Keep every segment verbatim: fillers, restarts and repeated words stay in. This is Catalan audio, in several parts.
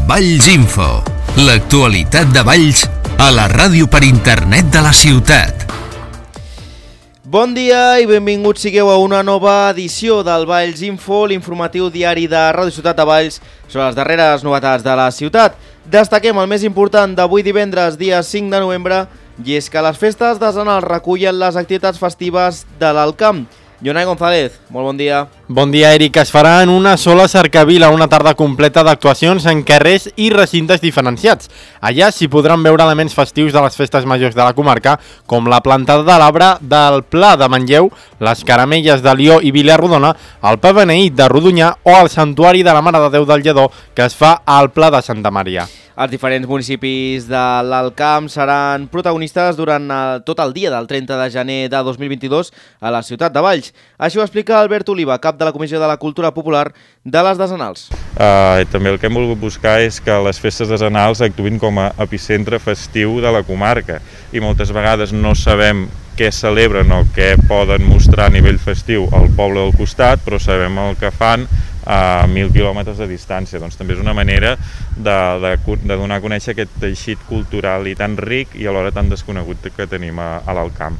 Valls Info, l'actualitat de Valls a la ràdio per internet de la ciutat. Bon dia i benvinguts sigueu a una nova edició del Valls Info, l'informatiu diari de Ràdio Ciutat de Valls sobre les darreres novetats de la ciutat. Destaquem el més important d'avui divendres, dia cinc de novembre, i és que les festes de Zanal recullen les activitats festives de l'Alcamp. Jonai González, molt bon dia. Bon dia, Eric. Es farà en una sola cercavila una tarda completa d'actuacions en carrers i recintes diferenciats. Allà s'hi podran veure elements festius de les festes majors de la comarca, com la plantada de l'arbre del Pla de Manlleu, les caramelles de Lió i Vilarrodona, el pa beneït de Rodonyà o el santuari de la Mare de Déu del Lledó, que es fa al Pla de Santa Maria. Els diferents municipis de l'Alcamp seran protagonistes durant el, tot el dia del trenta de gener de dos mil vint-i-dos a la ciutat de Valls. Així ho explica Albert Oliva, cap de la Comissió de la Cultura Popular de les Desanals. Uh, també el que hem volgut buscar és que les festes desanals actuïn com a epicentre festiu de la comarca i moltes vegades no sabem què celebren o què poden mostrar a nivell festiu al poble del costat, però sabem el que fan a mil quilòmetres de distància. Doncs també és una manera de, de, de donar a conèixer aquest teixit cultural i tan ric i alhora tan desconegut que tenim a, a l'Alcamp.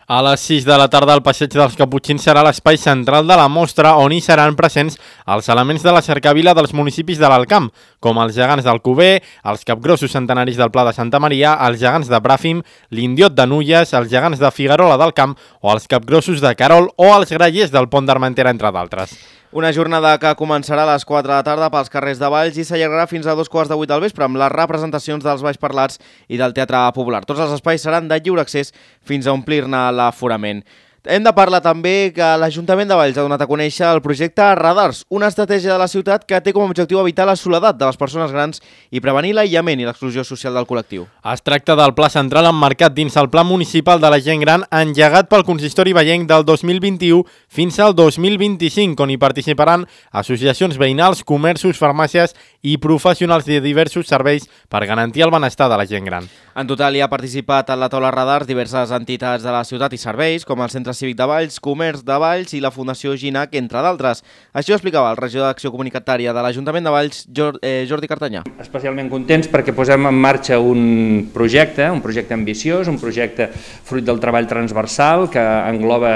A les sis de la tarda, el Passeig dels Caputxins serà l'espai central de la mostra on hi seran presents els elements de la cercavila dels municipis de l'Alcamp, com els gegants d'Alcover, els capgrossos centenaris del Pla de Santa Maria, els gegants de Bràfim, l'Indiot de Nulles, els gegants de Figuerola del Camp o els capgrossos de Carol o els grallers del Pont d'Armentera, entre d'altres. Una jornada que començarà a les quatre de la tarda pels carrers de Valls i s'allargarà fins a dos quarts de vuit del vespre amb les representacions dels Baix Parlats i del Teatre Popular. Tots els espais seran de lliure accés fins a omplir-ne l'aforament. Hem de parlar també que l'Ajuntament de Valls ha donat a conèixer el projecte Radars, una estratègia de la ciutat que té com a objectiu evitar la soledat de les persones grans i prevenir l'aïllament i l'exclusió social del col·lectiu. Es tracta del pla central emmarcat dins el Pla Municipal de la Gent Gran engegat pel Consistori Vallenc del dos mil vint-i-u fins al dos mil vint-i-cinc, on hi participaran associacions veïnals, comerços, farmàcies i professionals de diversos serveis per garantir el benestar de la gent gran. En total hi ha participat en la taula Radars diverses entitats de la ciutat i serveis, com el Centre Cívic de Valls, Comerç de Valls i la Fundació Ginac, entre d'altres. Així ho explicava el regidor d'Acció Comunitària de l'Ajuntament de Valls, Jordi Cartanyà. Especialment contents perquè posem en marxa un projecte, un projecte ambiciós, un projecte fruit del treball transversal que engloba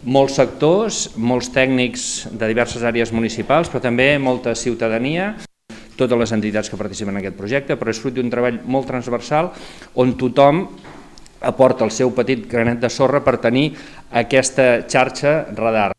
molts sectors, molts tècnics de diverses àrees municipals, però també molta ciutadania, totes les entitats que participen en aquest projecte, però és fruit d'un treball molt transversal on tothom aporta el seu petit granet de sorra per tenir aquesta xarxa radar.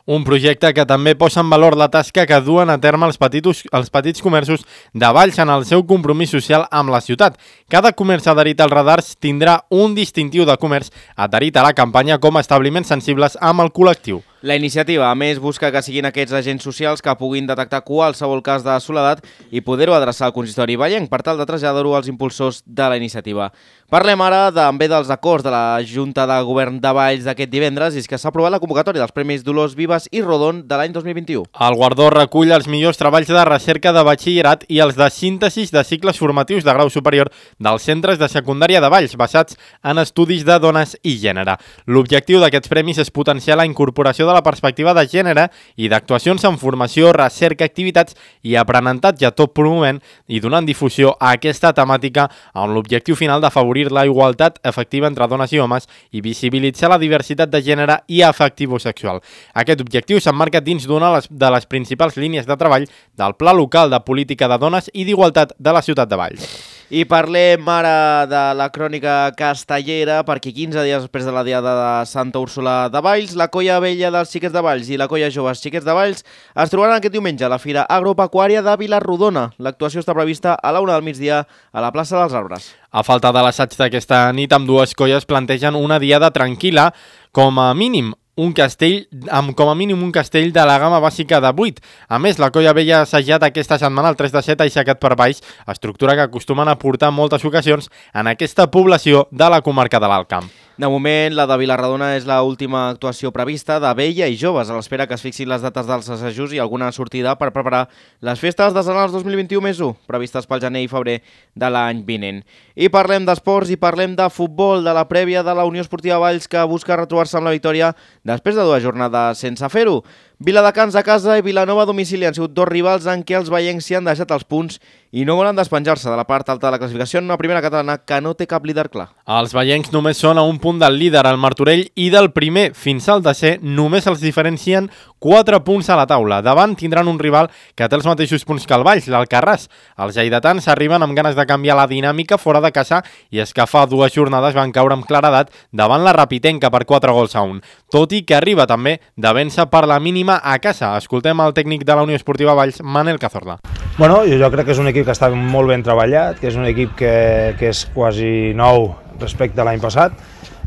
Un projecte que també posa en valor la tasca que duen a terme els petits, els petits comerços de Valls en el seu compromís social amb la ciutat. Cada comerç adherit als radars tindrà un distintiu de comerç adherit a la campanya com a establiments sensibles amb el col·lectiu. La iniciativa, a més, busca que siguin aquests agents socials que puguin detectar qualsevol cas de soledat i poder-ho adreçar al consistori vallenc per tal de traslladar-ho als impulsors de la iniciativa. Parlem ara també dels acords de la Junta de Govern de Valls d'aquest divendres i és que s'ha aprovat la convocatòria dels Premis Dolors Vives i Rodon de l'any dos mil vint-i-u. El guardó recull els millors treballs de recerca de batxillerat i els de síntesis de cicles formatius de grau superior dels centres de secundària de Valls basats en estudis de dones i gènere. L'objectiu d'aquests premis és potenciar la incorporació de la perspectiva de gènere i d'actuacions en formació, recerca, activitats i aprenentatge, tot promovent i donant difusió a aquesta temàtica amb l'objectiu final d'afavorir la igualtat efectiva entre dones i homes i visibilitzar la diversitat de gènere i afectivo-sexual. Aquest objectiu s'emmarca dins d'una de les principals línies de treball del Pla Local de Política de Dones i d'Igualtat de la ciutat de Valls. I parlem ara de la crònica castellera perquè quinze dies després de la diada de Santa Úrsula de Valls, la Colla Vella dels Xiquets de Valls i la Colla Joves Xiquets de Valls es trobaran aquest diumenge a la Fira Agropecuària de Vilarrodona. L'actuació està prevista a la una del migdia a la plaça dels Arbres. A falta de l'assaig d'aquesta nit, amb dues colles plantegen una diada tranquil·la, com a mínim un castell, amb com a mínim un castell de la gamma bàsica de vuit. A més, la Colla Vella ha assajat aquesta setmana el tres de set aixecat per baix, estructura que acostumen a portar en moltes ocasions en aquesta població de la comarca de l'Alt Camp. De moment, la de Vilarrodona és l'última actuació prevista de Vella i Joves, a l'espera que es fixin les dates dels assajos i alguna sortida per preparar les festes de Zanals dos mil vint-i-u més u, previstes pel gener i febrer de l'any vinent. I parlem d'esports i parlem de futbol, de la prèvia de la Unió Esportiva Valls que busca retrobar-se amb la victòria després de dues jornades sense fer-ho. Viladecans a casa i Vilanova a domicili han sigut dos rivals en què els veiencs s'hi han deixat els punts i no volen despenjar-se de la part alta de la classificació en una primera catalana que no té cap líder clar. Els veiencs només són a un punt del líder, el Martorell, i del primer fins al tercer només els diferencien quatre punts a la taula. Davant tindran un rival que té els mateixos punts que el Valls, l'Alcarràs. Els lleidatans arriben amb ganes de canviar la dinàmica fora de casa i és que fa dues jornades van caure amb claredat davant la Rapitenca per quatre gols a un. Tot i que arriba també de vèncer per la mínima a casa. Escoltem el tècnic de la Unió Esportiva Valls, Manel Cazorla. Bueno, jo crec que és un equip que està molt ben treballat, que és un equip que, que és quasi nou respecte a l'any passat,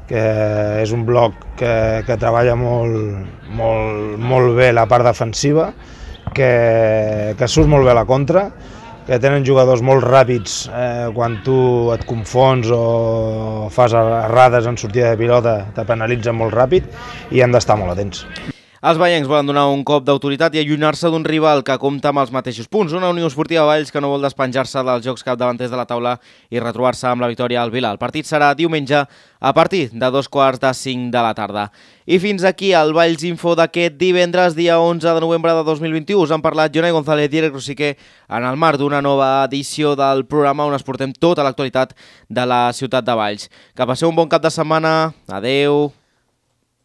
que és un bloc que, que treballa molt, molt, molt bé la part defensiva, que, que surt molt bé a la contra, que tenen jugadors molt ràpids eh, quan tu et confons o fas errades en sortida de pilota, te penalitzen molt ràpid i hem d'estar molt atents. Els veiencs volen donar un cop d'autoritat i allunyar-se d'un rival que compta amb els mateixos punts. Una Unió Esportiva Valls que no vol despenjar-se dels jocs capdavanters de la taula i retrobar-se amb la victòria al Vila. El partit serà diumenge a partir de dos quarts de cinc de la tarda. I fins aquí el Valls Info d'aquest divendres, dia onze de novembre de dos mil vint-i-u. Us han parlat Jonai González i Eric Rosiquer en el marc d'una nova edició del programa on es portem tota l'actualitat de la ciutat de Valls. Que passeu un bon cap de setmana. Adeu.